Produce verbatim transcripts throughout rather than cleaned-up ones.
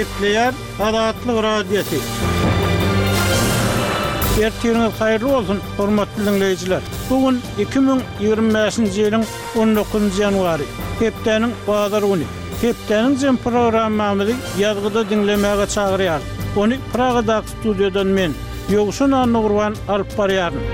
Gepleýär Azatlyk Radiosy. Ertiriňiz haýyrly bolsun, hormatly diňleýjiler. Bu gün iki müň ýigrimi bäşinji ýylyň on dokuzynjy ýanwary, hepdäniň bazar güni. Hepdäniň jem programmamyzy ýazgyda diňlemäge çagyrýarys. Ony Pragadaky studiýadan men, Ýowşan Annagurban alyp barýaryn.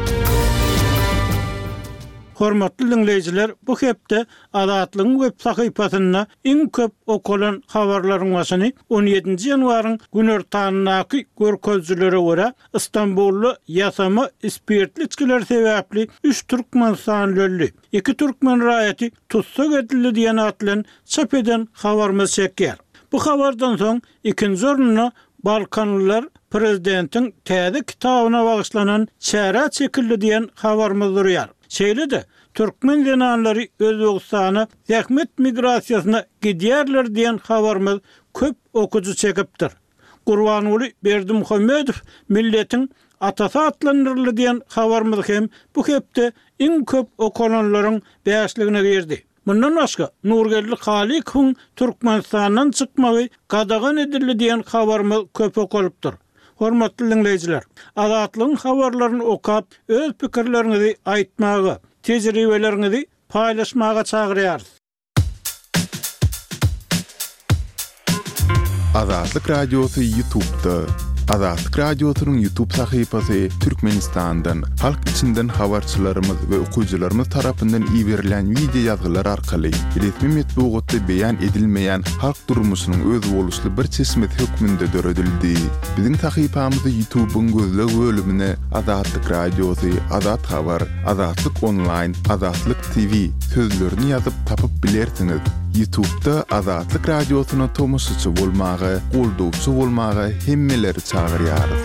Hormatly diňleýjiler, bu hepde Azatlygyň web sahypasynda iň köp okalan habarlaryň başyny on ýedinji ýanwaryň günortanyndaky görkezijilere görä Istanbulda ýasama spirtli içgiler sebäpli üç türkmenistanly öldi, iki türkmen raýaty tussag edildi diýen at bilen çap eden habarymyz çekýär. Bu habardan soň ikinji orunda Balkanlylar prezidentiň täze kitabyna bagyşlanan çärä çekildi diýen habarymyz durýar. Şeýle-de türkmen zenanlary Özbegistana zähmet migrasiýasyna gidýärler diýen habarymyz köp okujy çekipdir. Gurbanguly Berdimuhamedow milletiň atasy atlandyryldy diýen habarymyz hem bu hepde iň köp okalanlaryň bäşligine girdi. Mundan başga Nurgeldi Halykowyň Türkmenistandan çykmagy gadagan edildi diýen habarymyz köp okalypdyr. Hormatly diňleýjiler, Azatlygyň habarlaryny okap, öz pikirleriňizi aýtmaga, tejribeleriňizi paýlaşmaga çagyrýarys. Azatlyk Radiosy YouTube'da. Azatlyk Radiosynyň YouTube sahypasy Türkmenistandan, halk içinden habarçylarymyz we okyjylarymyz tarapyndan iberilen video ýazgylar arkaly resmi metbugatda beýan edilmeýän halk durmuşynyň özboluşly bir çeşmesi hökmünde döredildi. Biziň sahypamyzy YouTube'yň gözleg bölümine Azatlyk Radiosy, Azat Habar, Azatlyk Online, Azatlyk T V sözlerini ýazyp tapyp bilersiňiz. YouTube'da Azatlyk Radiosyna tomaşaçy bolmaga, goldawçy bolmaga hemmeleri çagyrýarys.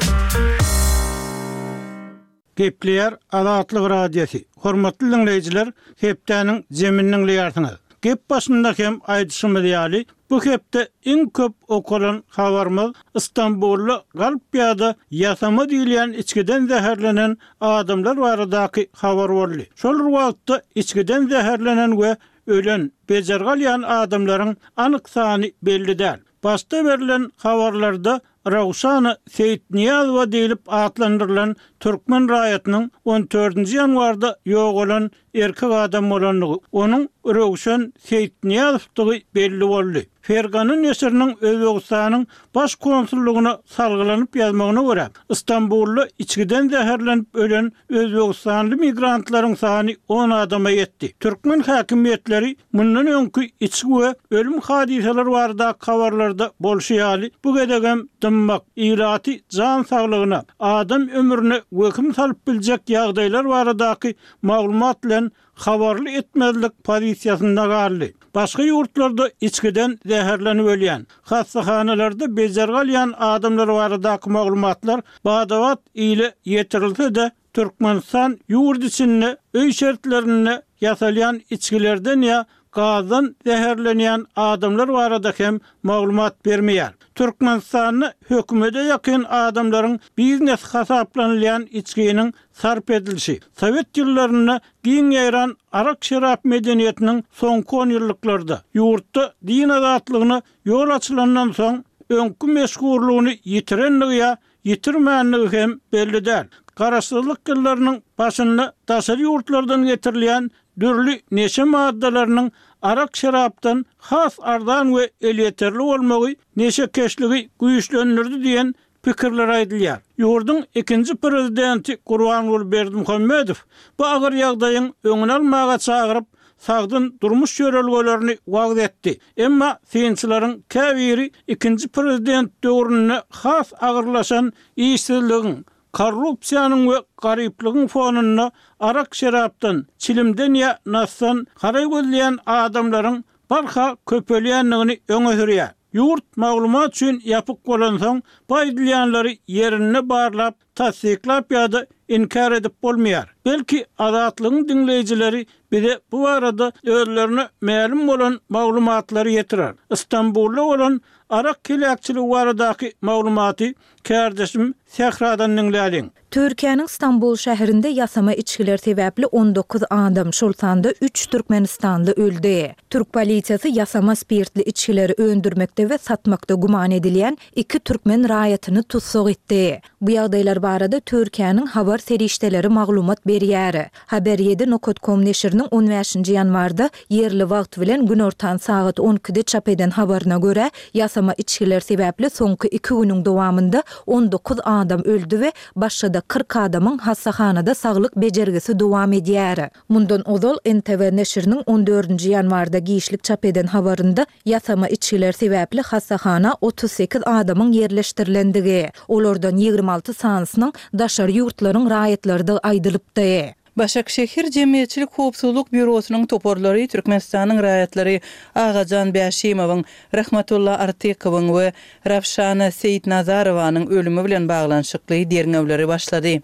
Gepleýär Azatlyk Radiosy. Hormatly diňleýjiler, hepdäniň zemini diňleýärsiňiz. Gep başynda hem aýdyşymyz ýaly, bu hepde iň köp okalan habarymyz Istanbulda galp ýa-da ýasama diýilýän içgiden zäherlenen adamlar baradaky habar boldy. Şol wagtda içgiden zäherlenen we ölen, bejergi alýan adamlaryň anyk sany belli däl. Başda berlen habarlarda Rawşana Seýitniýazowa diýlip atlandyrylan türkmen raýatynyň on dördünji ýanwarda ýogalan erkek adam bolandygy, onuň Röwşen Seýitniýazowdygy belli boldy. Fergana neşiriniň Özbegistanyň baş konsullygyna salgylanyp ýazmagyna görä, Istanbulda içgiden zäherlenip ölen Özbegistanly migrantlaryň sany on adama ýetdi. Türkmen häkimiýetleri mundan öňki içgi we ölüm hadysalary baradaky habarlarda bolşy ýaly, bu gezegem dymmak, ilaty jan saglygyna, adam ömrüne wehim salyp biljek ýagdaýlar baradaky maglumat bilen habarly etmezlik pozisiýasynda galdy. Başga ýurtlarda içgiden zäherlenip ölýän, hassahanalarda bejergi alýan adamlar baradaky maglumatlar badabat ile ýetirilse-de, Türkmenistan ýurt içinde öý şertlerinde ýasalýan içgilerden ýa gazdan zäherlenýän adamlar barada hem maglumat bermeýär. Türkmenistanda hökümete ýakyn adamlaryň biznes hasaplanylýan içginiň sarp edilişi, Sowet ýyllarynda giň ýaýran arak-şerap medeniýetiniň soňky on ýyllyklarda ýurtda din azatlygyna ýol açylandan soň öňki meşhurlygyny ýitirendigi ýa ýitirmänligi hem belli däl. Garaşsyzlyk ýyllarynyň başynda daşary ýurtlardan getirilýän dürli neşe maddalarynyň arak-şerapdan has arzan we elýeterli bolmagy neşekeşligi güýçlendirdi diýen pikirler aýdylýar. Ýurduň ikinji prezidenti Gurbanguly Berdimuhamedow bu agyr ýagdaýyň öňüni almaga çagyryp, sagdyn durmuş ýörelgelerini wagyz etdi. Emma synçylaryň käbiri ikinji prezident döwründe has agyrlaşan işsizligiň, korrupsiýanyň we garyplygyň fonunda arak-şerapdan, çilimden ýa nasdan haraý gözleýän adamlaryň barha köpelýändigini öňe sürýär. Ýurt maglumat üçin ýapyk bolansoň, bu aýdylýanlary ýerinde barlap, tassyklap ýa-da inkär edip bolmaýar. Belki Azatlygyň diňleýjileri bize bu barada özlerine mälim bolan maglumatlary ýetirer. Istanbulda bolan arak heläkçiligi baradaky maglumaty kärdeşim Sähradan diňläliň. Türkiýäniň Stambul şäherinde ýasama içgiler sebäpli on dokuz adam, şol sanda üç türkmenistanly öldi. Türk polisiýasy ýasama spirtli içgileri öndürmekde we satmakda güman edilýän iki türkmen raýatyny tussag etdi. Bu ýagdaýlar barada Türkiýäniň habar serişdeleri maglumat berýär. Haber ýedi nokat kom neşiriniň on bäşinji ýanwarda ýerli wagt bilen günortan sagat on ikide çap eden habaryna görä, ýasama içgiler sebäpli soňky iki günüň dowamynda on dokuz adam öldi we başga-da kyrk adamyň hassahanada saglyk bejergisi dowam edýär. Mundan ozal N T V neşiriniň on dördünji ýanwarda giçlik çap eden habarynda ýasama içgiler sebäpli hassahana otuz sekiz adamyň ýerleşdirilendigi, olardan ýigrimi alty sanysynyň daşary ýurtlaryň raýatlarydygy aýdylypdy. Başakşehir Jemgyýetçilik Howpsuzlyk Býurosynyň toparlary Türkmenistanyň raýatlary Agajan Bäşimowyň, Rahmatulla Artykowyň we Rawşana Seýitnazarowanyň ölümi bilen baglanyşykly derňewleri başlady.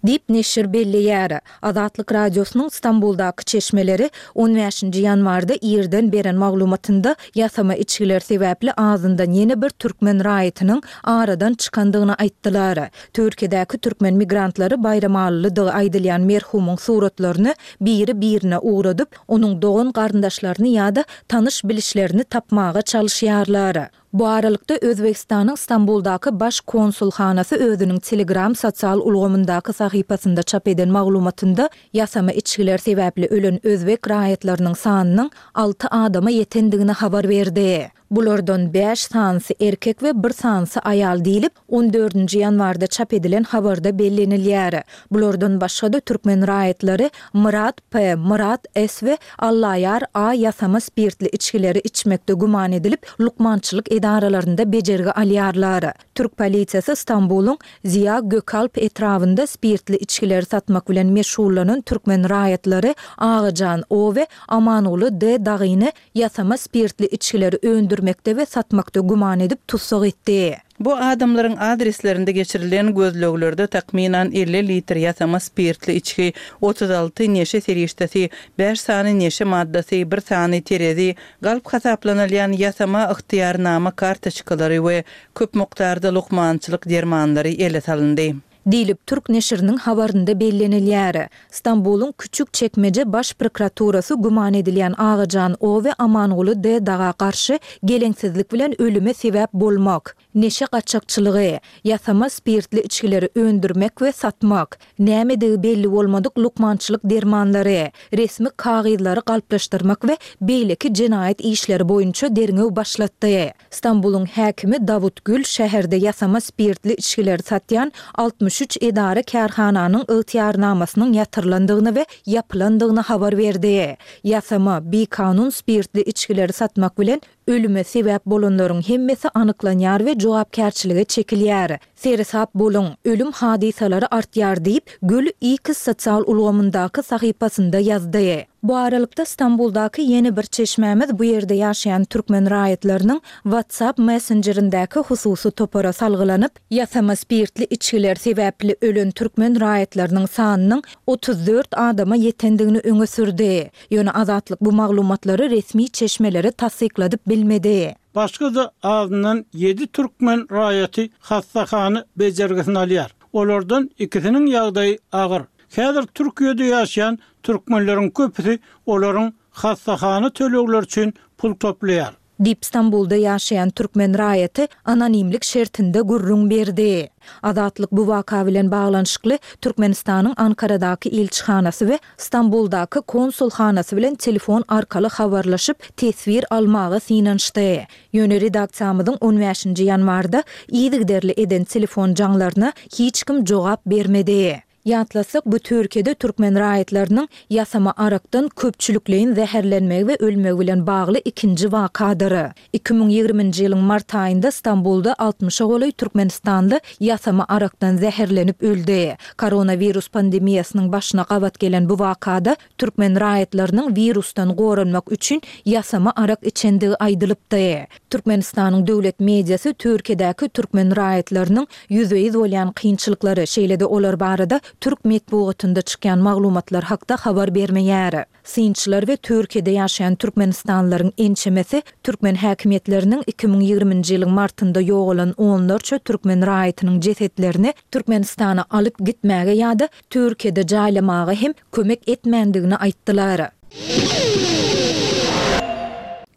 Diýip neşir belleýär. Azatlyk Radiosynyň Stambuldaky çeşmeleri on bäşinji ýanwarda irden beren maglumatynda ýasama içgiler sebäpli azyndan ýene bir türkmen raýatynyň aradan çykandygyny aýtdylar. Türkiýedäki türkmen migrantlary Baýramalylydygy aýdylýan merhumyň suratlaryny biri-birine ugradyp, onuň dogan garyndaşlaryny ýa-da tanyş bilişlerini tapmaga çalyşýarlar. Bu aralykda Özbegistanyň Stambuldaky baş konsulhanasy özüniň Telegram sosial ulgamyndaky sahypasynda çap eden maglumatynda ýasama içgiler sebäpli ölen özbek raýatlarynyň sanynyň alty adama ýetendigini habar berdi. Bulardan bäş sanysy erkek we bir sanysy aýal diýlip, on dördünji ýanwarda çap edilen habarda bellenilýär. Bulardan başga-da türkmen raýatlary Myrat P, Myrat S we Allaýar A ýasama spirtli içgileri içmekde güman edilip, lukmançylyk edaralarynda bejergi alýarlar. Türk polisiýasy Stambulyň Ziya Gökalp etrabynda spirtli içgileri satmak bilen meşgullanan türkmen raýatlary Agajan O we Amanguly D dagyny ýasama spirtli içgileri öndürmekde we satmakda güman edip tussag etdi. Bu adamlaryň adreslerinde geçirilen gözleglerde takmynan elli litr ýasama spirtli içgi, otuz alty neşe serişdesi, bäş sany neşe maddasy, bir sany terezi, galp hasaplanylýan ýasama ygtyýarnama kartoçkalary we köp mukdarda lukmançylyk dermanlary ele salyndy. Diýlip Türk neşiriniň habarynda bellenilýär. Stambulyň Küçük Çekmece baş prokuraturasy güman edilýän Agajan O we Amanguly D daga garşy geleňsizlik bilen ölüme sebäp bolmak, neşe gaçakçylygy, ýasama spirtli içgileri öndürmek we satmak, nämedigi belli bolmadyk lukmançylyk dermanlary, resmi kagyzlary galplaşdyrmak we beýleki jenaýat işleri boýunça derňew başlatdy. Stambulyň häkimi Dawut Gül şäherde ýasama spirtli içgileri satýan altmyş üç edara kärhananyň ygtyýarnamasynyň ýatyrylandygyny we ýapylandygyny habar berdi. Ýasama, bikanun spirtli içgileri satmak bilen ölüme sebäp bolanlaryň hemmesi anyklanýar we jogapkärçilige çekilýär. Seresap boluň, ölüm hadysalary artýar diýip, Gül X sosial ulgamyndaky sahypasynda ýazdy. Bu aralykda Stambuldaky ýene bir çeşmämiz bu ýerde ýaşaýan türkmen raýatlarynyň WhatsApp messenjerindäki hususy topara salgylanyp, ýasama spirtli içgiler sebäpli ölen türkmen raýatlarynyň sanynyň otuz dört adama ýetendigini öňe sürdi. Ýöne Azatlyk bu maglumatlary resmi çeşmelere tassykladyp bilmedi. Başga-da azyndan ýedi türkmen raýaty hassahana bejergisini alýar. Olardan ikisiniň ýagdaýy agyr. Häzir Türkiýede ýaşaýan türkmenleriň köpüsi olaryň hassahana tölegleri üçin pul toplaýar. Diýip Stambulda ýaşaýan türkmen raýaty anonimlik şertinde gürrüň berdi. Azatlyk bu waka bilen baglanyşykly Türkmenistanyň Ankaradaky ilçihanasy we Stambuldaky konsulhanasy bilen telefon arkaly habarlaşyp teswir almaga synanyşdy. Ýöne redaksiýamyzyň on bäşinji ýanwarda yzygiderli eden telefon jaňlaryna hiç kim jogap bermedi. Ýatlasak, bu Türkiýede türkmen raýatlarynyň ýasama arakdan köpçülikleýin zäherlenmegi we ölmegi bilen bagly ikinji wakadyr. Iki müň ýigriminji ýylyň mart aýynda Stambulda altmyşa golaý Türkmenistanly ýasama arakdan zäherlenip öldi. Koronawirus pandemiýasynyň başyna gabat gelen bu wakada türkmen raýatlarynyň wirusdan goranmak üçin ýasama arak içendigi aýdylypdy. Türkmenistanyň döwlet mediasy Türkiýedäki türkmen raýatlarynyň ýüzbe-ýüz bolýan kynçylyklary, şeýle-de olar barada türk metbugatynda çykýan maglumatlar hakda habar bermeýär. Synçylar we Türkiýede ýaşaýan türkmenistanlylaryň ençemesi türkmen häkimiýetleriniň iki müň ýigriminji ýylyň martynda ýogalan onlarça türkmen raýatynyň jesetlerini Türkmenistana alyp gitmäge ýa-da Türkiýede jaýlamaga hem kömek etmändigini aýtdylar.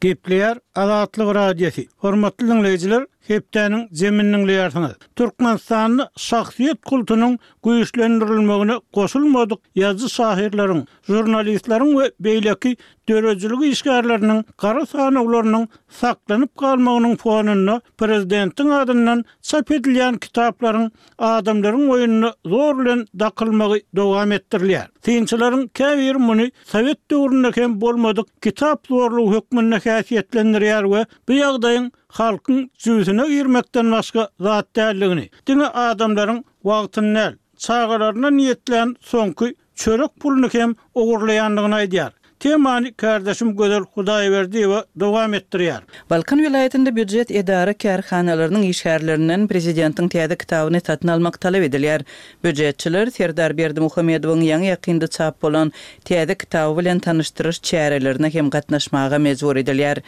Gepleýär Azatlyk Radiosy. Hormatly diňleýjiler, hepdäniň jemini diňleýärsiňiz. Türkmenistanda şahsyýet kultunyň güýçlendirilmegine goşulmadyk ýazyjy-şahyrlaryň, žurnalistleriň we beýleki döredijilik işgärleriniň gara sanawlarynyň saklanyp galmagynyň fonunda prezidentiň adyndan çap edilýän kitaplaryň adamlaryň boýnuna zor bilen dakylmagy dowam etdirilýär. Synçylaryň käbiri muny sowet döwründe hem bolmadyk kitap zorlugy hökmünde häsiýetlendirýär we bu ýagdaýyň halkyň jübüsine girmekden başga zat däldigini, diňe adamlaryň wagtyny däl, çagalaryna niýetlän soňky çörek puluny hem ogurlaýandygyny aýdýar. Temany kärdeşim Gözel Hudaýberdiýewa dowam etdirýär. Balkan welaýatynda býujet edara-kärhanalarynyň işgärlerinden prezidentiň täze kitabyny satyn almak talap edilýär. Býujetçiler Serdar Berdimuhamedowyň ýaňy-ýakynda çap bolan täze kitaby bilen tanyşdyryş çärelerine hem gatnaşmaga mejbur edilýär.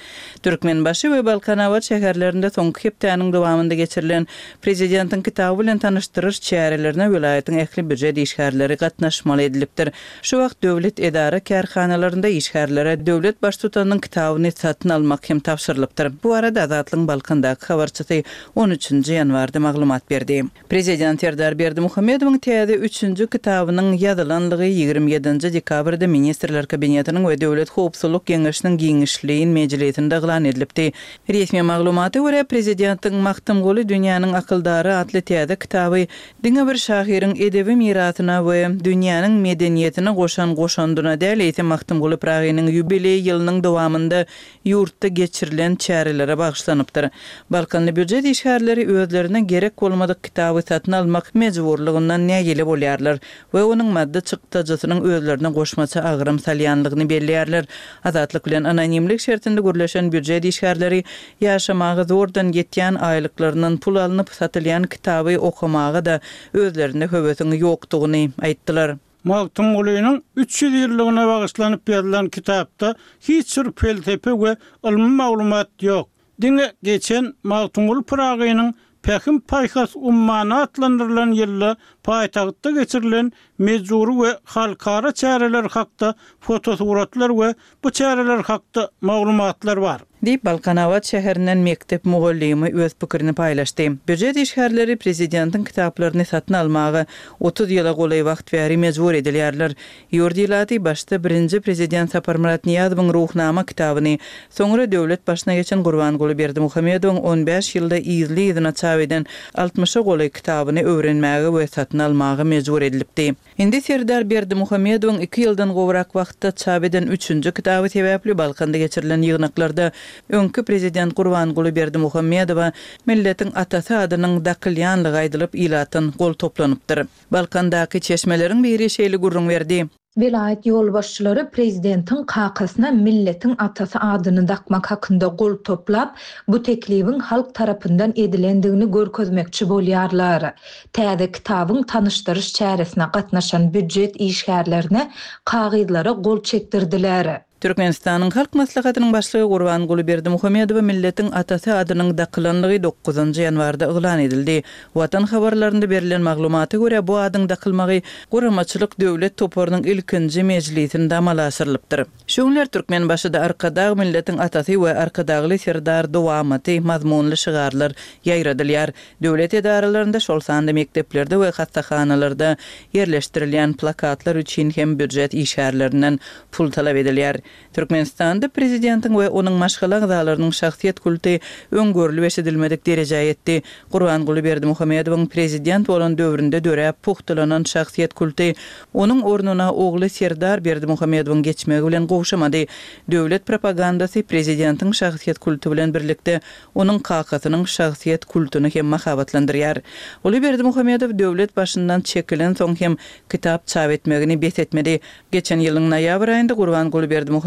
Türkmenbaşy we Balkanabat şäherlerinde soňky hepdäniň dowamynda geçirilen prezidentiň kitaby bilen tanyşdyryş çärelerine welaýatyň ähli býujet işgärleri gatnaşmaly edilipdir. Şu wagt döwlet edara-kärhanalarynda işgärlere döwlet Baştutanynyň kitabyny satyn almak hem tabşyrylypdyr. Bu barada Azatlygyň Balkandaky habarçysy on üçünji ýanwarda maglumat berdi. Prezident Serdar Berdimuhamedowyň täze üçünji kitabynyň ýazylanlygy ýigrimi ýedinji dekabrda Ministrler Kabinetiniň we Döwlet howpsuzlyk geňeşiniň giňişleýin mejlisinde yglan edilipdi. Resmi maglumata görä, prezidentiň Magtymguly dünýäniň akyldary atly täze kitaby diňe bir şahyryň edebi mirasyna we dünýäniň medeniýetine goşan goşandyna däl, eýsem Magtymguly Pyragynyň ýubileý ýylynyň dowamynda ýurtda geçirilen çärelere bagyşlanypdyr. Balkanly býujet işgärleri özlerine gerek bolmadyk kitaby satyn almak mejburlygyndan nägile bolýarlar we onuň maddy çykdajysynyň özlerine goşmaça agram salýanlygyny belleýärler. Azatlyk bilen anonimlik şertinde gürleşen býujet işgärleri ýaşamaga zordan ýetýän aýlyklaryndan pul alnyp satylýan kitaby okamaga-da özlerinde höwesiň ýokdugyny aýtdylar. Magtymgulynyň üç ýüz ýyllygyna bagyşlanyp ýazylan kitapda hiç bir pelsepe we ylmy maglumat ýok. Diňe geçen Magtymguly Pyragynyň Pähim-paýhas ummany atlandyrylan ýylda paýtagtda geçirilen mejbury we halkara çäreler hakda fotosuratlar we bu çäreler hakda maglumatlar bar. Diýip, Balkanabat şäherinden mekdep mugallymy öz pikirini paýlaşdy. Býujet işgärleri prezidentiň kitaplaryny satyn almaga otuz ýyla golaý wagt bäri mejbur edilýärler. Ýurt ilaty başda birinji prezident Saparmyrat Nyýazowyň Ruhnama kitabyny, soňra döwlet başyna geçen Gurbanguly Berdimuhamedowyň on bäş ýylda yzly-yzyna çap eden altmyşa golaý kitabyny öwrenmäge we satyn almaga mejbur edilipdi. Indi Serdar Berdimuhamedowyň iki ýyldan gowrak wagtda çap eden üçünji kitaby sebäpli Balkanda geçirilen ýygnaklarda öňki prezident Gurbanguly Berdimuhamedowa milletiň atasy adynyň dakylýanlygy aýdylyp, ilatdan gol toplanypdyr. Balkandaky çeşmeleriň biri şeýle gürrüň berdi. Welaýat ýolbaşçylary prezidentiň kakasyna milletiň atasy adyny dakmak hakynda gol toplap, bu teklibiň halk tarapyndan edilendigini görkezmekçi bolýarlar. Täze kitabyň tanyşdyryş çäresine gatnaşan býujet işgärlerine kagyzlara gol çekdirdiler. Türkmenistanyň Halk Maslahatynyň Başlygy Gurbanguly Berdimuhamedowa milletiň atasy adynyň dakylanlygy dokuzynjy ýanwarda yglan edildi. Watan habarlarynda berlen maglumata görä, bu adyň dakylmagy Guramaçylyk döwlet toparynyň ilkinji mejlisinde amala aşyrylypdyr. Şu günler Türkmenbaşyda Arkadag milletiň atasy we Arkadagly Serdar dowamaty mazmunly şygarlar ýaýradylýar. Döwlet edaralarynda, şol sanda mekdeplerde we hassahanalarda ýerleşdirilýän plakatlar üçin hem býujet işgärlerinden pul talap edilýär. Türkmenistanda prezidentiň we onuň maşgala agzalarynyň şahsyýet kulty öň görlüp-eşidilmedik derejä ýetdi. Gurbanguly Berdimuhamedowyň prezident bolan döwründe döräp pugtalanan şahsyýet kulty onuň ornuna ogly Serdar Berdimuhamedowyň geçmegi bilen gowşamady. Döwlet propagandasy prezidentiň şahsyýet kulty bilen birlikde onuň kakasynyň şahsyýet kultuny hem mahabatlandyrýar. Uly Berdimuhamedow döwlet başyndan çekilensoň hem kitap çap etmegini bes etmedi. Geçen ýylyň noýabr aýynda Gurbanguly Berdimuhamedowyň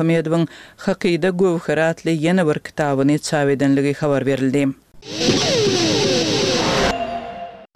Hakyda göwheri atly ýene bir kitabyny çap edenligi habar berildi.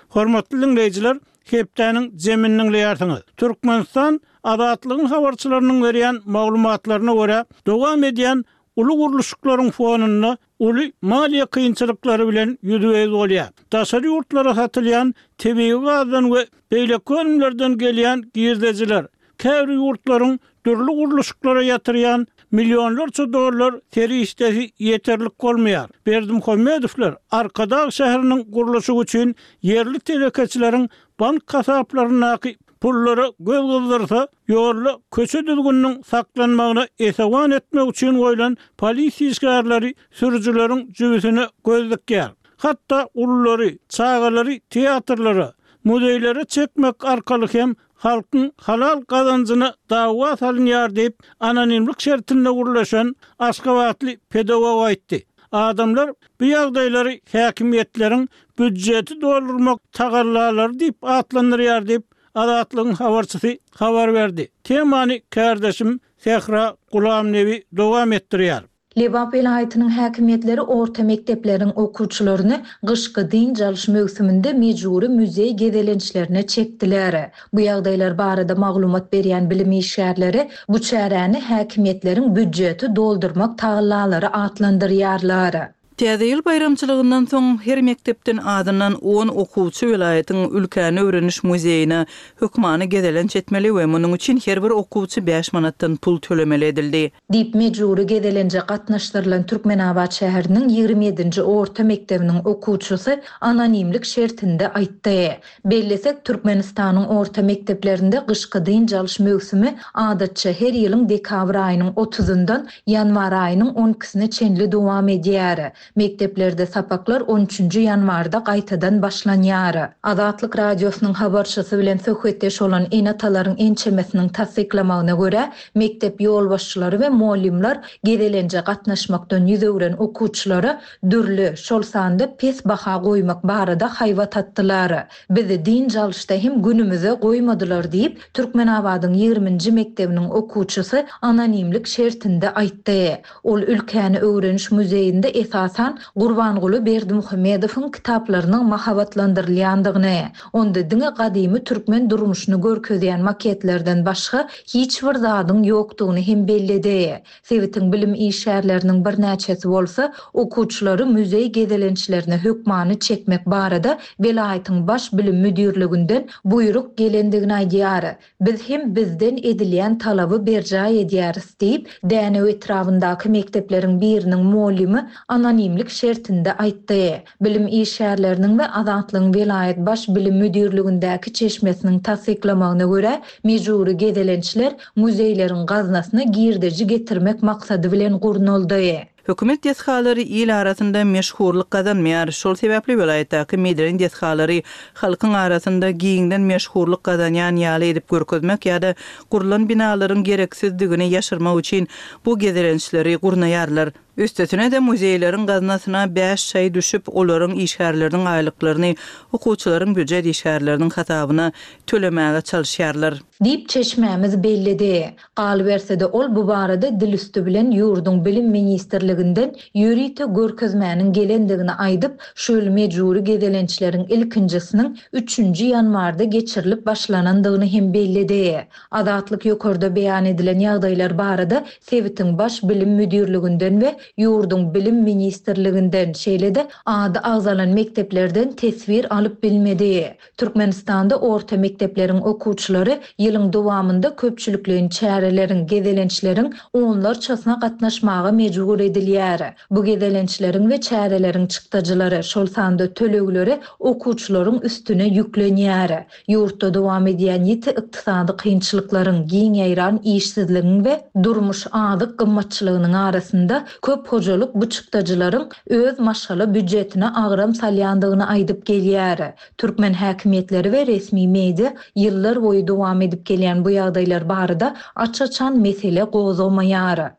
Hormatly diňleýjiler, Hepdäniň jemini diňleýärsiňiz. Türkmenistan Azatlygyň habarçylarynyň berýän maglumatlaryna görä, dowam edýän uly gurluşyklaryň fonunda uly maliýe kynçylyklary bilen ýüzbe-ýüz bolýar. Daşary ýurtlara satylýan tebigy gazdan we beýleki önümlerden gelýän girdejiler, käbir ýurtlaryň dürli gurluşyklara ýatyrýan millionlarça dollar serişdesi ýeterlik bolmaýar. Berdimuhamedowlar Arkadag şäheriniň gurluşygy üçin ýerli telekeçileriň bank hasaplaryndaky pullara göz gyzdyrsa, ýolda köçe düzgüniniň saklanmagyna esewan etmek üçin goýlan polisiýa işgärleri sürüjileriň jübüsine göz dikýär. Hatda ululary, çagalary teatrlara, muzeýlere çekmek arkaly hem halkyň halal gazanjyna dawa salynýar diýip, anonimlik şertinde gürleşen aşgabatly pedagog aýtdy. Adamlar bu ýagdaýlary häkimiýetleriň býujeti doldurmak tagallalary diýip atlandyrýar diýip, Azatlygyň habarçysy habar berdi. Temany kärdeşim Sähra Gulamnebi dowam etdirýär. Lebap welaýatynyň häkimiýetleri orta mekdepleriň okuwçylaryny gyşky dynç alyş möwsüminde mejbury muzeý gezelençlerine çekdiler. Bu ýagdaýlar barada maglumat berýän bilim işgärleri bu çäräni häkimiýetleriň býujeti doldurmak tagallalary atlandyrýarlar. Täze ýyl baýramçylygyndan soň her mekdepden azyndan on okuwçy welaýatyň Ülkäni öwreniş muzeýine hökmany gezelenç etmeli we munuň üçin her bir okuwçy bäş manatdan pul tölemeli edildi. Diýip, mejbury gezelenje gatnaşdyrylan Türkmenabat şäheriniň ýigrimi ýedinji orta mekdebiniň okuwçysy anonimlik şertinde aýtdy. Bellesek, Türkmenistanyň orta mekdeplerinde gyşky dynç alyş möwsümi adatça her ýylyň dekabr aýynyň otuzyndan ýanwar aýynyň on ikisine çenli dowam edýär. Mekdeplerde sapaklar on üçünji ýanwarda gaýtadan başlanýar. Azatlyk Radiosynyň habarçysy bilen söhbetdeş bolan ene-atalaryň ençemesiniň tassyklamagyna görä, mekdep ýolbaşçylary we mugallymlar gezelenje gatnaşmakdan ýüz öwren okuwçylara dürli, şol sanda pes baha goýmak barada haýbat atdylar. Bizi dynç alyşda hem günümize goýmadylar diýip, Türkmenabadyň ýigriminji mekdebiniň okuwçysy anonimlik şertinde aýtdy. Ol Ülkäni öwreniş muzeýinde esasan Gurbanguly Berdimuhamedowyň kitaplarynyň mahabatlandyrylýandygyny, onda diňe gadymy türkmen durmuşyny görkezýän maketlerden başga hiç bir zadyň ýokdugyny hem belledi. Sebitiň bilim işgärleriniň birnäçesi bolsa, okuwçylary muzeý gezelençlerine hökmany çekmek barada welaýatyň baş bilim müdirliginden buýruk gelendigini aýdýar. Biz hem bizden edilýän talaby berjaý edýäris diýip, Dänew etrabyndaky mekdepleriň biriniň mugallymy anonimlik şertinde aýtdy. Bilim işgärleriniň we Azatlygyň welaýat baş bilim müdirligindäki çeşmesiniň tassyklamagyna görä, mejbury gezelençler muzeýleriň gaznasyna girdeji getirmek maksady bilen gurnaldy. Hökümet desgalary il arasynda meşhurlyk gazanmaýar. Şol sebäpli welaýatdaky medeni desgalary halkyň arasynda giňden meşhurlyk gazanýan ýaly edip görkezmek ýa-da gurlan binalaryň gereksizdigini ýaşyrmak üçin bu gezelençleri gurnaýarlar. Üstesine-de muzeýleriň gaznasyna bäş çaý düşüp, olaryň işgärleriniň aýlyklaryny okuwçylaryň býujet işgärleriniň hasabyna tölemäge çalyşýarlar. Diýip çeşmämiz belledi. Galyberse-de ol bu barada dil üstü bilen ýurduň bilim ministrliginden ýörite görkezmäniň gelendigini aýdyp, şu ýyl mejbury gezelençleriň ilkinjisiniň üçünji ýanwarda geçirilip başlanandygyny hem belledi. Azatlyk ýokarda beýan edilen ýagdaýlar barada sebitiň baş bilim müdirliginden we ýurduň bilim ministrliginden, şeýle-de ady agzalan mekdeplerden teswir alyp bilmedi. Türkmenistanda orta mekdepleriň okuwçylary ýylyň dowamynda köpçülikleýin çäreleriň, gezelençleriň onlarçasyna gatnaşmaga mejbur edilýär. Bu gezelençleriň we çäreleriň çykdajylary, şol sanda tölegleri okuwçylaryň üstüne ýüklenýär. Ýurtda dowam edýän ýiti ykdysady kynçylyklaryň, giň ýaýran işsizligiň we durmuş azyk gymmatçylygynyň arasynda köp hojalyk bu çykdajylaryň öz maşgala býujetine agram salýandygyny aýdyp gelýär. Türkmen häkimiýetleri we resmi media ýyllar boýy dowam edip gelýän bu ýagdaýlar barada aç-açan mesele gozgamaýar.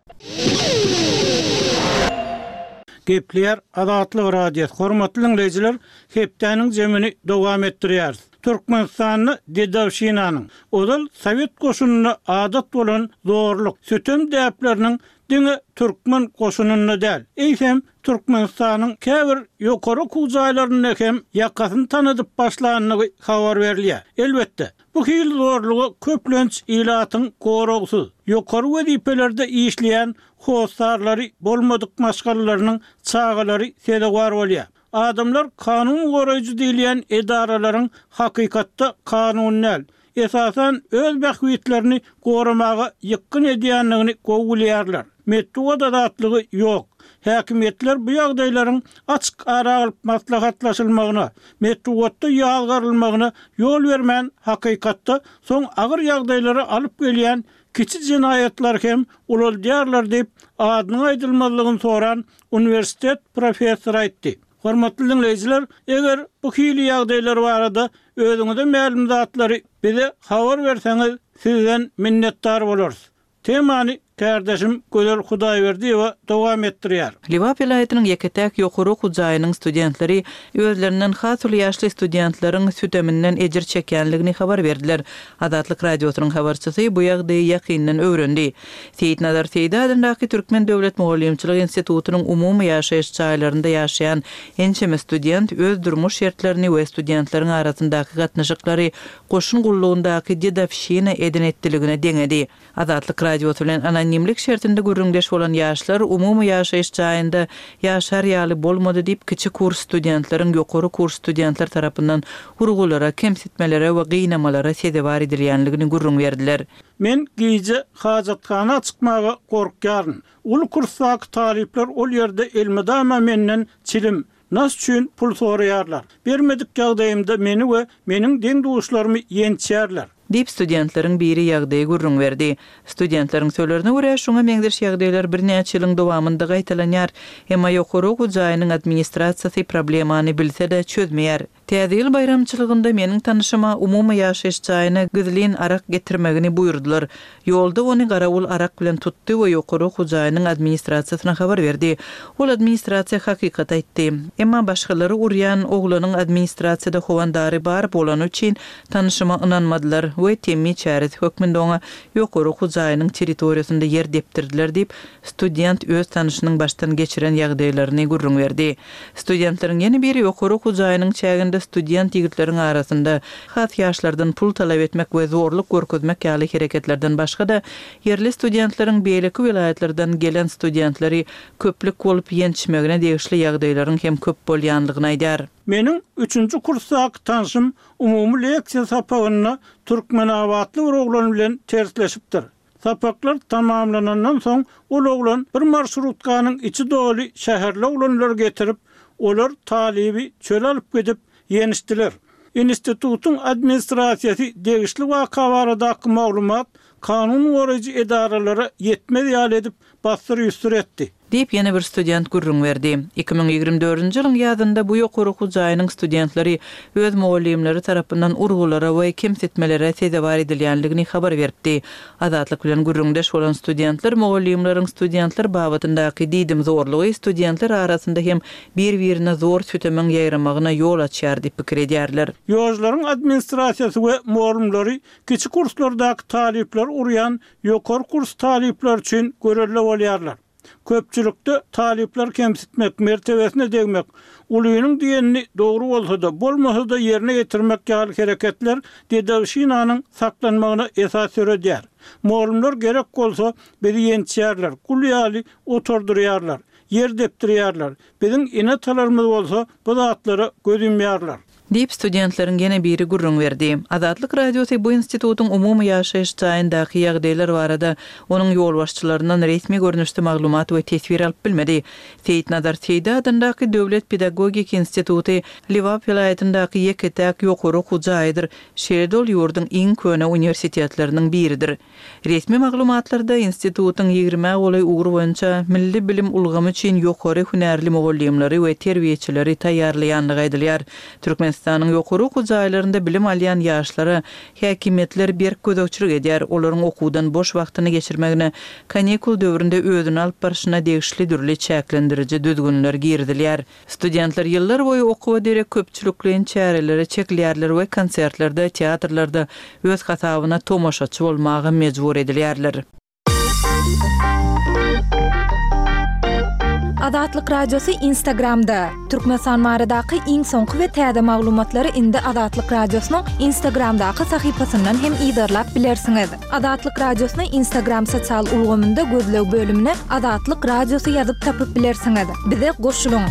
Gepleýär Azatlyk Radiosy. Hormatly dinleýjiler, hepdäniň jemini dowam etdirýäris. Türkmenistanda dedowşinanyň, ozal Sowet goşunynda adat bolan zorluk, sütem däpleriniň diňe türkmen goşunynda däl, eýsem Türkmenistanyň käbir ýokary okuw jaýlarynda hem ýakasyny tanadyp başlandygy habar berilýär. Elbetde, bu hili zorluga köplenç ilatyň goragsyz, ýokary wezipelerde işleýän hossarlary bolmadyk maşgalalarynyň çagalary sezewar bolýar. Adamlar kanun goraýjy diýilýän edaralaryň hakykatda kanun däl, esasan öz bähbitlerini goramaga ýykgyn edýändigini gowy bilýärler. Metbugat azatlygy ýok. Häkimiýetler bu ýagdaýlaryň açyk ara alyp maslahatlaşylmagyna, metbugatda ýazgarylmagyna ýol bermän hakykatda soň agyr ýagdaýlara alyp gelýän kiçi jenaýatlar hem ulaldýarlar diýip, adynyň aýdylmazlygyny soran uniwersitet professory aýtdy. Hormatly diňleýjiler, eger bu hili ýagdaýlar barada özüňize mälim zatlary bize habar berseňiz, sizden minnetdar bolarys. Temany kärdeşim Gözel Hudaýberdiýewa dowam etdirýär. Lebap welaýatynyň ýeke-täk ýokary okuw jaýynyň studentleri özlerinden has uly ýaşly studentleriň süteminden ejir çekýänligini habar berdiler. Azatlyk Radiosynyň habarçysy bu ýagdaýy ýakyndan öwrendi. Seýitnazar Seýdi adyndaky Türkmen döwlet mugallymçylyk institutynyň umumy ýaşaýyş jaýlarynda ýaşaýan ençeme student öz durmuş şertlerini we studentleriň arasyndaky gatnaşyklary goşun gullugyndaky dedowşina eden-etdiligine deňedi. Azatlyk Radiosy bilen anonimlik şertinde gürrüňdeş bolan ýaşlar umumy ýaşaýyş jaýynda ýaşar ýaly bolmady diýip, kiçi kurs studentleriň ýokary kurs studentler tarapyndan urgulara, kemsitmelere we gynamalara sezewar edilýänligini gürrüň berdiler. Men gije hajathana çykmaga gorkýaryn. Uly kursdaky talyplar ol ýerde elmydama menden çilim, nas üçin pul soraýarlar. Bermedik ýagdaýymda meni we meniň deň-duşlarymy ýençýärler. Diýip, studentleriň biri ýagdaýy gürrüň berdi. Studentleriň sözlerine görä, şuňa meňzeş ýagdaýlar birnäçe ýylyň dowamynda gaýtalanýar. Emma ýokary okuw jaýynyň administrasiýasy problemany bilse-de çözmeýär. Täze ýyl baýramçylygynda meniň tanyşyma umumy ýaşaýyş jaýyna gizlin arak getirmegini buýurdylar. Ýolda ony garawul arak bilen tutdy we ýokary okuw jaýynyň administrasiýasyna habar berdi. Ol administrasiýa hakykat aýtdy. Emma başgalary urýan oglanyň administrasiýada howandary bar bolany üçin tanyşyma ynanmadylar we temmi çäresi hökmünde oňa ýokary okuw jaýynyň territoriýasynda ýer depdirdiler diýip, student öz tanyşynyň başdan geçiren ýagdaýlaryny gürrüň berdi. Studentleriň ýene biri ýokary okuw jaýynyň çäginde student ýigitleriň arasynda has ýaşlardan pul talap etmek we zorluk görkezmek ýaly hereketlerden başga-da ýerli studentleriň beýleki welaýatlardan gelen studentleri köplük bolup ýençmegine degişli ýagdaýlaryň hem köp bolýanlygyny aýdýar. Meniň üçünji kursdaky tanşym umumy leksiýa sapagynda Türkmenabatly bir oglan bilen tersleşipdir. Sapaklar tamamlanandan soň ol oglan bir marşrutkanyň içi doly şäherli oglanlary getirip, olar talyby çöle alyp gidip ýenişdiler. Institutyň administrasiýasy degişli waka baradaky maglumat kanun goraýjy edaralara ýetmez ýaly edip bassyr-üstür etdi. Diýip, ýene bir student gürrüň berdi. Iki müň ýigrimi dördünji ýylyň ýazynda bu ýokary okuw jaýynyň studentleri öz mugallymlary tarapyndan urgulara we kemsitmelere sezewar edilýänligini habar beripdi. Azatlyk bilen gürrüňdeş bolan studentler mugallymlaryň studentler babatyndaky diýdimzorlugy studentler arasynda hem bir-birine zor sütemiň ýaýramagyna ýol açýar diýip pikir edýärler. Ýolcularyň administrasiýasy we mugallymlary kiçi kurslardaky talyplar urýan ýokary kurs talyplar üçin görelde bolýarlar. Köpçülikde talyplar kemsitmek, mertebesine degmek, ulynyň diýenini dogry bolsa-da, bolmasa-da ýerine getirmek ýaly hereketler dedowşinanyň saklanmagyna esas döredýär. Mugallymlar gerek bolsa bizi ýençýärler, gul ýaly oturdurýarlar, ýer depdirýärler. Biziň ene-atalarymyz bolsa bu zatlara göz ýumýarlar. Diýip, studentleriň ýene biri gürrüň berdi. Azatlyk Radiosy bu institutyň umumy ýaşaýyş jaýyndaky ýagdaýlar barada onuň ýolbaşçylaryndan resmi görnüşde maglumat we teswir alyp bilmedi. Seýitnazar Seýdi adyndaky Döwlet pedagogik instituty Lebap welaýatyndaky ýeke-täk ýokary okuw jaýydyr. Şeýle-de ol ýurduň iň köne uniwersitetleriniň biridir. Resmi maglumatlarda institutyň ýigrimä golaý ugur boýunça milli bilim ulgamy üçin ýokary hünärli mugallymlary we terbiýeçileri taýýarlaýanlygy aýdylýar. Türkmenistanyň ýokary okuw jaýlarynda bilim alýan ýaşlara häkimiýetler berk gözegçilik edýär. Olaryň okuwdan boş wagtyny geçirmegine, kanikul döwründe özüni alyp barşyna degişli dürli çäklendiriji düzgünler girizilýär. Studentler ýyllar boýy okuwa derek köpçülikleýin çärelere çekilýärler we konsertlerde, teatrlarda öz hasabyna tomaşaçy bolmaga mejbur edilýärler. Azatlyk Radiosy Instagramda. Türkmenistan baradaky iň soňky we täze maglumatlary indi Azatlyk Radiosynyň Instagramdaky sahypasyndan hem yzarlap bilersiňiz. Azatlyk Radiosyny Instagram sosial ulgamynda gözleg bölümine Azatlyk Radiosy ýazyp tapyp bilersiňiz. Bize goşulyň!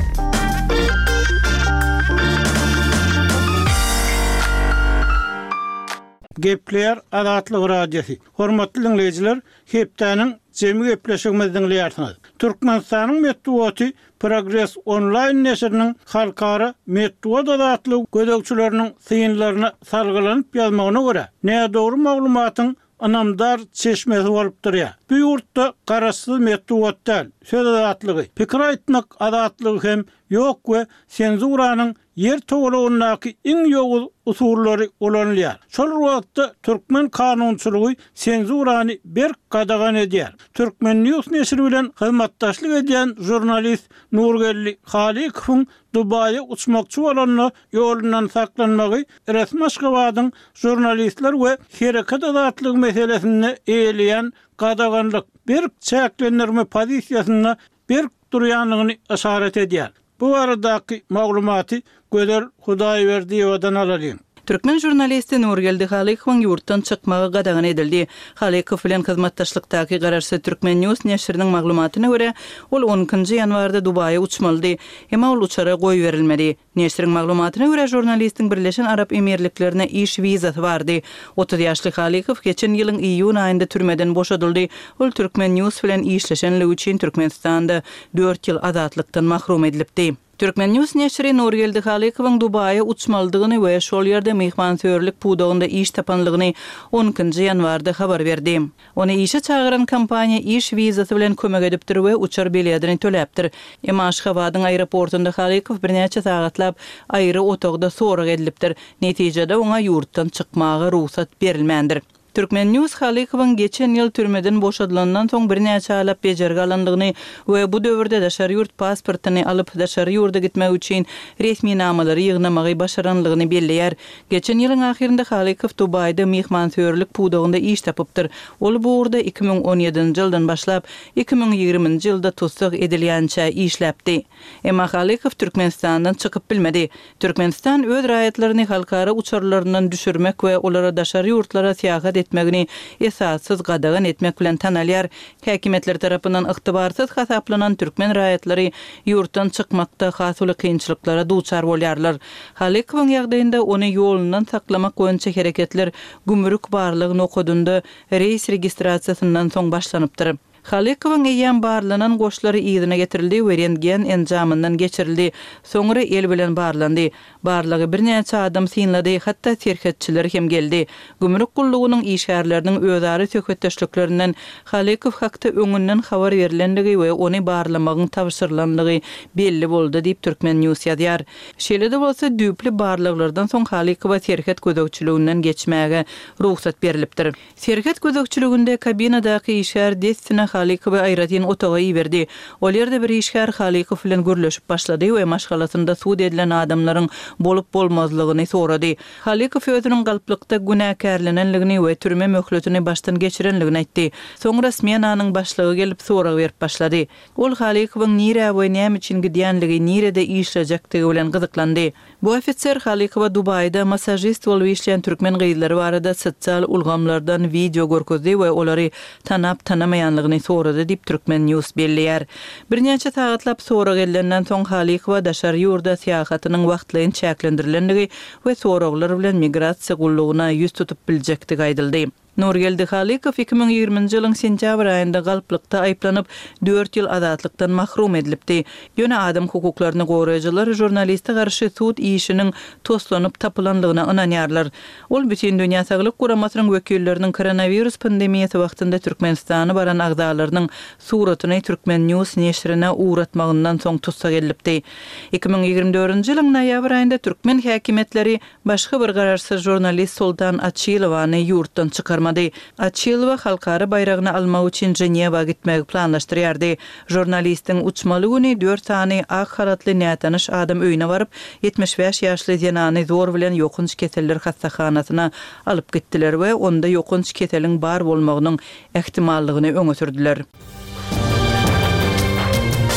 Gepleýär Azatlyk Radiosy. Hormatly diňleýjiler, hepdäniň jemi gepleşigimizi diňleýärsiňiz. Türkmenistanyň metbugaty Progres Onlaýn neşiriniň halkara metbugat azatlygy gözegçileriniň synlaryna salgylanyp ýazmagyna görä, nädogry maglumatyň ynamdar çeşmesi bolup durýar. Bu ýurtda garaşsyz metbugat däl, söz azatlygy, pikir aýtmak azatlygy hem ýok we senzuranyň Ýer togalagyndaky iň ýowuz usullary ulanylýar. Şol bir wagtda türkmen kanunçylygy senzurany berk gadagan edýär. Turkmen. News neşiri bilen hyzmatdaşlyk edýän žurnalist Nurgeldi Halykowyň Dubaýa uçmakçy bolanda ýolundan saklanmagy resmi Aşgabadyň žurnalistler we hereket azatlygy meselesinde eýeleýän gadaganlyk, berk çäklendirme pozisiýasynda berk durýandygyny yşarat edýär. Bu baradaky maglumaty Gözel Hudaýberdiýewadan alalyň. Türkmen žurnalisti Nurgeldi Halykowyň ýurtdan çykmagy gadagan edildi. Halykow bilen hyzmatdaşlykdaky garaşsyz Turkmen. News neşiriniň maglumatyna görä, ol on ikinji ýanwarda Dubaýa uçmalydy. Emma ol uçara goýberilmedi. Neşiriň maglumatyna görä, žurnalistiň Birleşen Arap Emirliklerine iş wizasy bardy. Otuz ýaşly Halykow geçen ýylyň iýun aýynda türmeden boşadyldy. Ol Turkmen. News bilen işleşenligi üçin Türkmenistanda dört ýyl azatlykdan mahrum edilipdi. Turkmen. News neşiri Nurgeldi Halykowyň Dubaýa uçmalydygyny we şol ýerde myhmansöýerlik pudagynda iş tapanlygyny on ikinji ýanwarda habar berdi. Ony işe çagyran kompaniýa iş wizasy bilen kömek edipdir we uçar biledini töläpdir. Emma Aşgabadyň aeroportunda Halykow birnäçe sagatlap aýry otagda sorag edilipdir. Netijede oňa ýurtdan çykmaga rugsat berilmändir. Turkmen. News Halykowyň geçen ýyl türmeden boşadylandan soň birnäçe aýlap bejergi alandygyny we bu döwürde daşary ýurt pasportyny alyp, daşary ýurda gitmek üçin resminamalary ýygnamagy başaranlygyny belleýär. Geçen ýylyň ahyrynda Halykow Dubaýda myhmansöýerlik pudagynda iş tapypdyr. Ol bu ugurda iki müň on ýedinji ýyldan başlap, iki müň ýigriminji ýylda tussag edilýänçä işläpdi. Emma Halykow Türkmenistandan çykyp bilmedi. Türkmenistan öz raýatlaryny halkara uçarlaryndan düşürmek we olara daşary ýurtlara syýahat etmegini esassyz gadagan etmek bilen tanalýar. Häkimiýetler tarapyndan ygtybarsyz hasaplanan türkmen raýatlary ýurtdan çykmakda has uly kynçylyklara duçar bolýarlar. Halykowyň ýagdaýynda ony ýolundan saklamak boýunça hereketler gümrük barlag nokadynda reýs registrasiýasyndan soň başlanypdyr. Halykowyň eýýäm barlanan goşlary yzyna getirildi we rentgen enjamyndan geçirildi, soňra el bilen barlandy. Barlagy birnäçe adam synlady, hatda serhetçiler hem geldi. Gümrük gullugynyň işgärleriniň özara söhbetdeşliklerinden Halykow hakda öňünden habar berlendigi we ony barlamagyň tabşyrylandygy belli boldy diýip, Turkmen. News ýazýar. Şeýle-de bolsa, düýpli barlaglardan soň Halykowa serhet gözegçiliginden geçmäge rugsat berlipdir. Serhet gözegçiliginde kabinadaky işgär dessine Halykowy aýratyn otaga iberdi. Ol ýerde bir işgär Halykow bilen gürleşip başlady we maşgalasynda sud edilen adamlaryň bolup-bolmazlygyny sorady. Halykow özüniň galplykda günäkärlenenligini we türme möhletini başdan geçirenligini aýtdy. Soňra smenanyň başlygy gelip sorag berip başlady. Ol Halykowyň nirä we näme üçin gidýänligi, nirede işlejekdigi bilen gyzyklandy. Bu ofiser Halykowa Dubaýda massažist bolup işleýän türkmen gyzlary barada sosial ulgamlardan wideo görkezdi we olary tanap-tanamaýanlygyny sorady diýip, Turkmen. News belleýär. Birnäçe sagatlap sorag edilenden soň Halykowa daşary ýurda syýahatynyň wagtlaýyn çäklendirilendigi we soraglar bilen migrasiýa gullugyna ýüz tutup biljekdigi aýdyldy. Nurgeldi Halykow iki müň ýigriminji ýylyň sentýabr aýynda galplykda aýyplanyp, dört ýyl azatlykdan mahrum edilipdi. Ýöne adam hukuklaryny goraýjylar žurnaliste garşy sud işiniň toslanyp tapylanlygyna ynanýarlar. Ol Bütindünýä Saglyk Guramasynyň wekilleriniň koronawirus pandemiýasy wagtynda Türkmenistana baran agzalarynyň suratyny Turkmen. News neşirine ugratmagyndan soň tussag edilipdi. Iki müň ýigrimi dördünji ýylyň noýabr aýynda türkmen häkimiýetleri başga bir garaşsyz žurnalist Soltan Açilowany ýurtdan çykarmady. Açilowa halkara baýragyny almak üçin Ženewa gitmegi planlaşdyrýardy. Žurnalistiň uçmaly güni dört sany ak halatly nätanyş adam öýüne baryp, ýetmiş bäş ýaşly zenany zor bilen ýokanç keseller hassahanasyna alyp gitdiler we onda ýokanç keseliň bar bolmagynyň ähtimallygyny öňe sürdüler.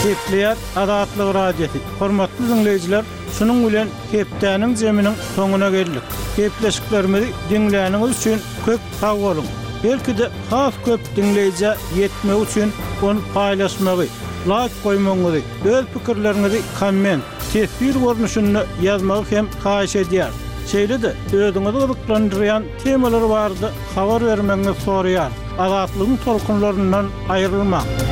Gepleýär Azatlyk Radiosy. Hormatly diňleýjiler, şunuň bilen hepdäniň zeminiň soňuna geldik. Gepleşiklerimizi diňläniňiz üçin köp sag boluň. Belki-de has köp diňleýjä ýetmek üçin ony paýlaşmagy, laýk goýmagyňyzy, öz pikirleriňizi komment, teswir görnüşinde ýazmagy hem haýyş edýär. Şeýle-de özüňizi gyzyklandyrýan temalar barada habar bermegiňizi soraýar. Azatlygyň tolkunlaryndan aýrylmaň.